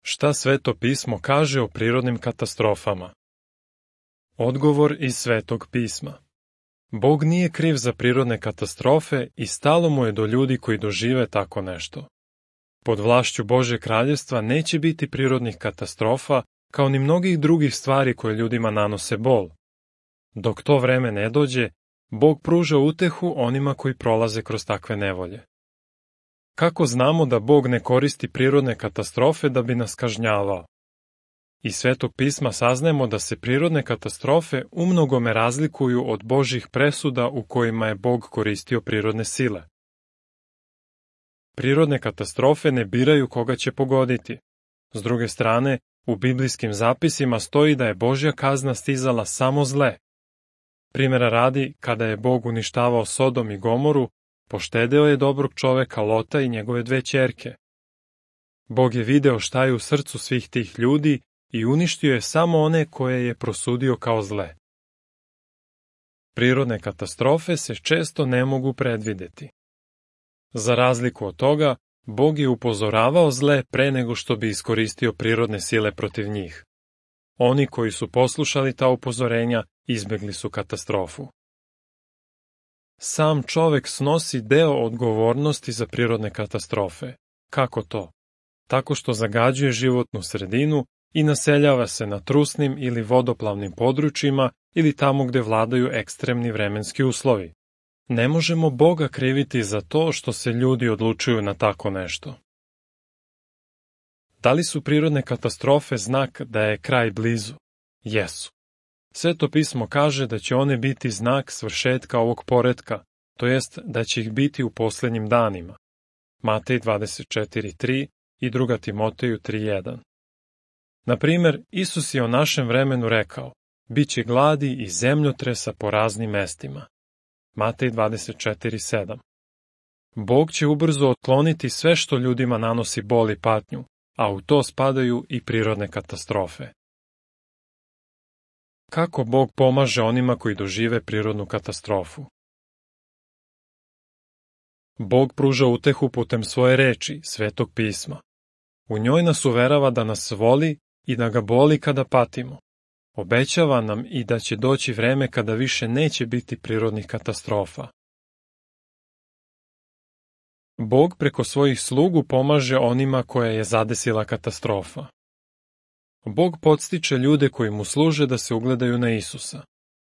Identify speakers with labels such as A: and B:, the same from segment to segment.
A: Šta Sveto pismo kaže o prirodnim katastrofama? Odgovor iz Svetog pisma. Bog nije kriv za prirodne katastrofe i stalo mu je do ljudi koji dožive tako nešto. Pod vlašću Božje kraljevstva neće biti prirodnih katastrofa, kao ni mnogih drugih stvari koje ljudima nanose bol. Dok to vreme ne dođe, Bog pruža utehu onima koji prolaze kroz takve nevolje. Kako znamo da Bog ne koristi prirodne katastrofe da bi nas kažnjavao? Iz Svetog pisma saznajemo da se prirodne katastrofe umnogome razlikuju od Božjih presuda u kojima je Bog koristio prirodne sile. Prirodne katastrofe ne biraju koga će pogoditi. S druge strane, u biblijskim zapisima stoji da je Božja kazna stizala samo zle. Primjera radi, kada je Bog uništavao Sodom i Gomoru, poštedeo je dobrog čoveka Lota i njegove 2 ćerke. Bog je video šta je u srcu svih tih ljudi i uništio je samo one koje je prosudio kao zle. Prirodne katastrofe se često ne mogu predvideti. Za razliku od toga, Bog je upozoravao zle pre nego što bi iskoristio prirodne sile protiv njih. Oni koji su poslušali ta upozorenja izbegli su katastrofu. Sam čovek snosi deo odgovornosti za prirodne katastrofe. Kako to? Tako što zagađuje životnu sredinu i naseljava se na trusnim ili vodoplavnim područjima ili tamo gde vladaju ekstremni vremenski uslovi. Ne možemo Boga kriviti za to što se ljudi odlučuju na tako nešto. Da li su prirodne katastrofe znak da je kraj blizu? Jesu. Sveto pismo kaže da će one biti znak svršetka ovog poretka, to jest da će ih biti u posljednjim danima. Matej 24:3 i 2. Timoteju 3:1. Na primjer, Isus je o našem vremenu rekao, biće gladi i zemljotresa po raznim mestima. Matej 24:7. Bog će ubrzo otkloniti sve što ljudima nanosi bol i patnju, a u to spadaju i prirodne katastrofe. Kako Bog pomaže onima koji dožive prirodnu katastrofu? Bog pruža utehu putem svoje reči, Svetog pisma. U njoj nas uverava da nas voli i da ga boli kada patimo. Obećava nam i da će doći vreme kada više neće biti prirodnih katastrofa. Bog preko svojih slugu pomaže onima koja je zadesila katastrofa. Bog podstiče ljude koji mu služe da se ugledaju na Isusa.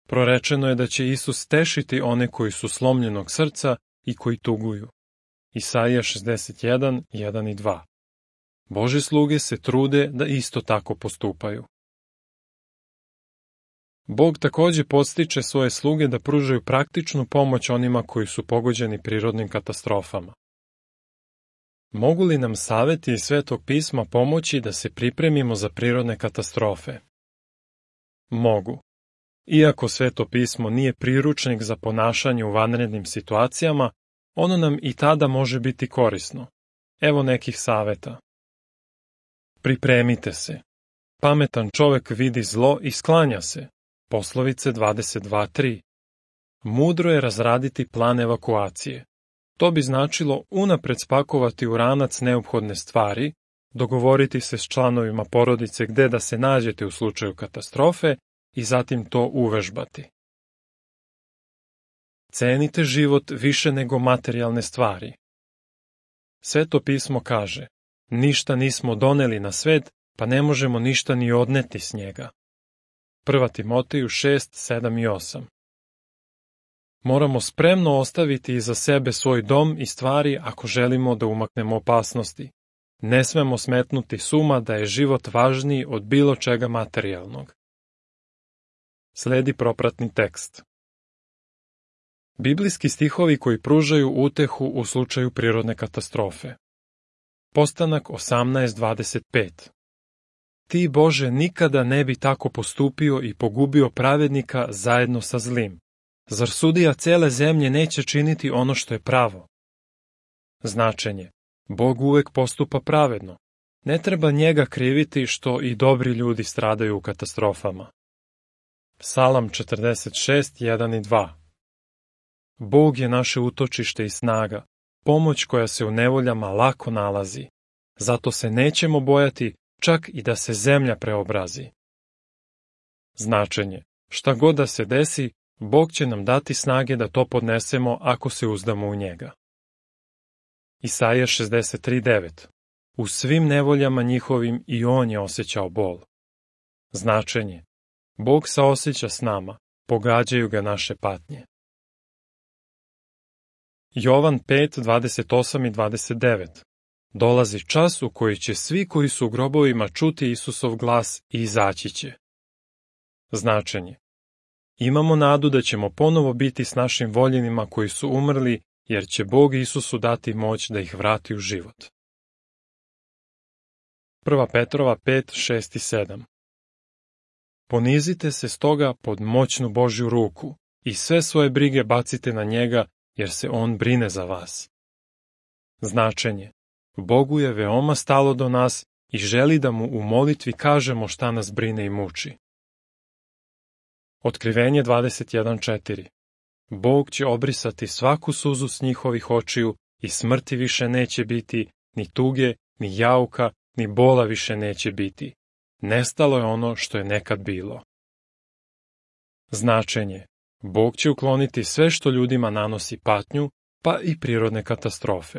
A: Prorečeno je da će Isus tešiti one koji su slomljenog srca i koji tuguju. Isaija 61:1 i 2. Božje sluge se trude da isto tako postupaju. Bog takođe podstiče svoje sluge da pružaju praktičnu pomoć onima koji su pogođeni prirodnim katastrofama. Mogu li nam saveti iz Svetog pisma pomoći da se pripremimo za prirodne katastrofe? Mogu. Iako Sveto pismo nije priručnik za ponašanje u vanrednim situacijama, ono nam i tada može biti korisno. Evo nekih saveta. Pripremite se. Pametan čovek vidi zlo i sklanja se. Poslovice 22:3. Mudro je razraditi plan evakuacije. To bi značilo unapred spakovati u ranac neophodne stvari, dogovoriti se s članovima porodice gde da se nađete u slučaju katastrofe i zatim to uvežbati. Cenite život više nego materijalne stvari. Sveto pismo kaže, ništa nismo doneli na svet, pa ne možemo ništa ni odneti s njega. 1. Timoteju 6:7 i 8. Moramo spremno ostaviti iza sebe svoj dom i stvari ako želimo da umaknemo opasnosti. Ne smemo smetnuti s uma da je život važniji od bilo čega materijalnog. Sledi propratni tekst. Biblijski stihovi koji pružaju utehu u slučaju prirodne katastrofe. Postanak 18:25. Ti, Bože, nikada ne bi tako postupio i pogubio pravednika zajedno sa zlim. Zar sudija cele zemlje neće činiti ono što je pravo? Značenje. Bog uvek postupa pravedno. Ne treba njega kriviti što i dobri ljudi stradaju u katastrofama. Psalam 46:1 i 2. Bog je naše utočište i snaga, pomoć koja se u nevoljama lako nalazi. Zato se nećemo bojati, čak i da se zemlja preobrazi. Značenje: šta god da se desi, Bog će nam dati snage da to podnesemo ako se uzdamo u njega. Isaija 63:9. U svim nevoljama njihovim i on je osjećao bol. Značenje: Bog saoseća s nama, pogađaju ga naše patnje. Jovan 5:28 i 29. Dolazi čas u koji će svi koji su u grobovima čuti Isusov glas i izaći će. Značenje: imamo nadu da ćemo ponovo biti s našim voljenima koji su umrli, jer će Bog Isusu dati moć da ih vrati u život. 1. Petrova 5:6 i 7. Ponizite se stoga pod moćnu Božju ruku i sve svoje brige bacite na njega, jer se on brine za vas. Značenje: Bogu je veoma stalo do nas i želi da mu u molitvi kažemo šta nas brine i muči. Otkrivenje 21:4. Bog će obrisati svaku suzu s njihovih očiju i smrti više neće biti, ni tuge, ni jauka, ni bola više neće biti. Nestalo je ono što je nekad bilo. Značenje: Bog će ukloniti sve što ljudima nanosi patnju, pa i prirodne katastrofe.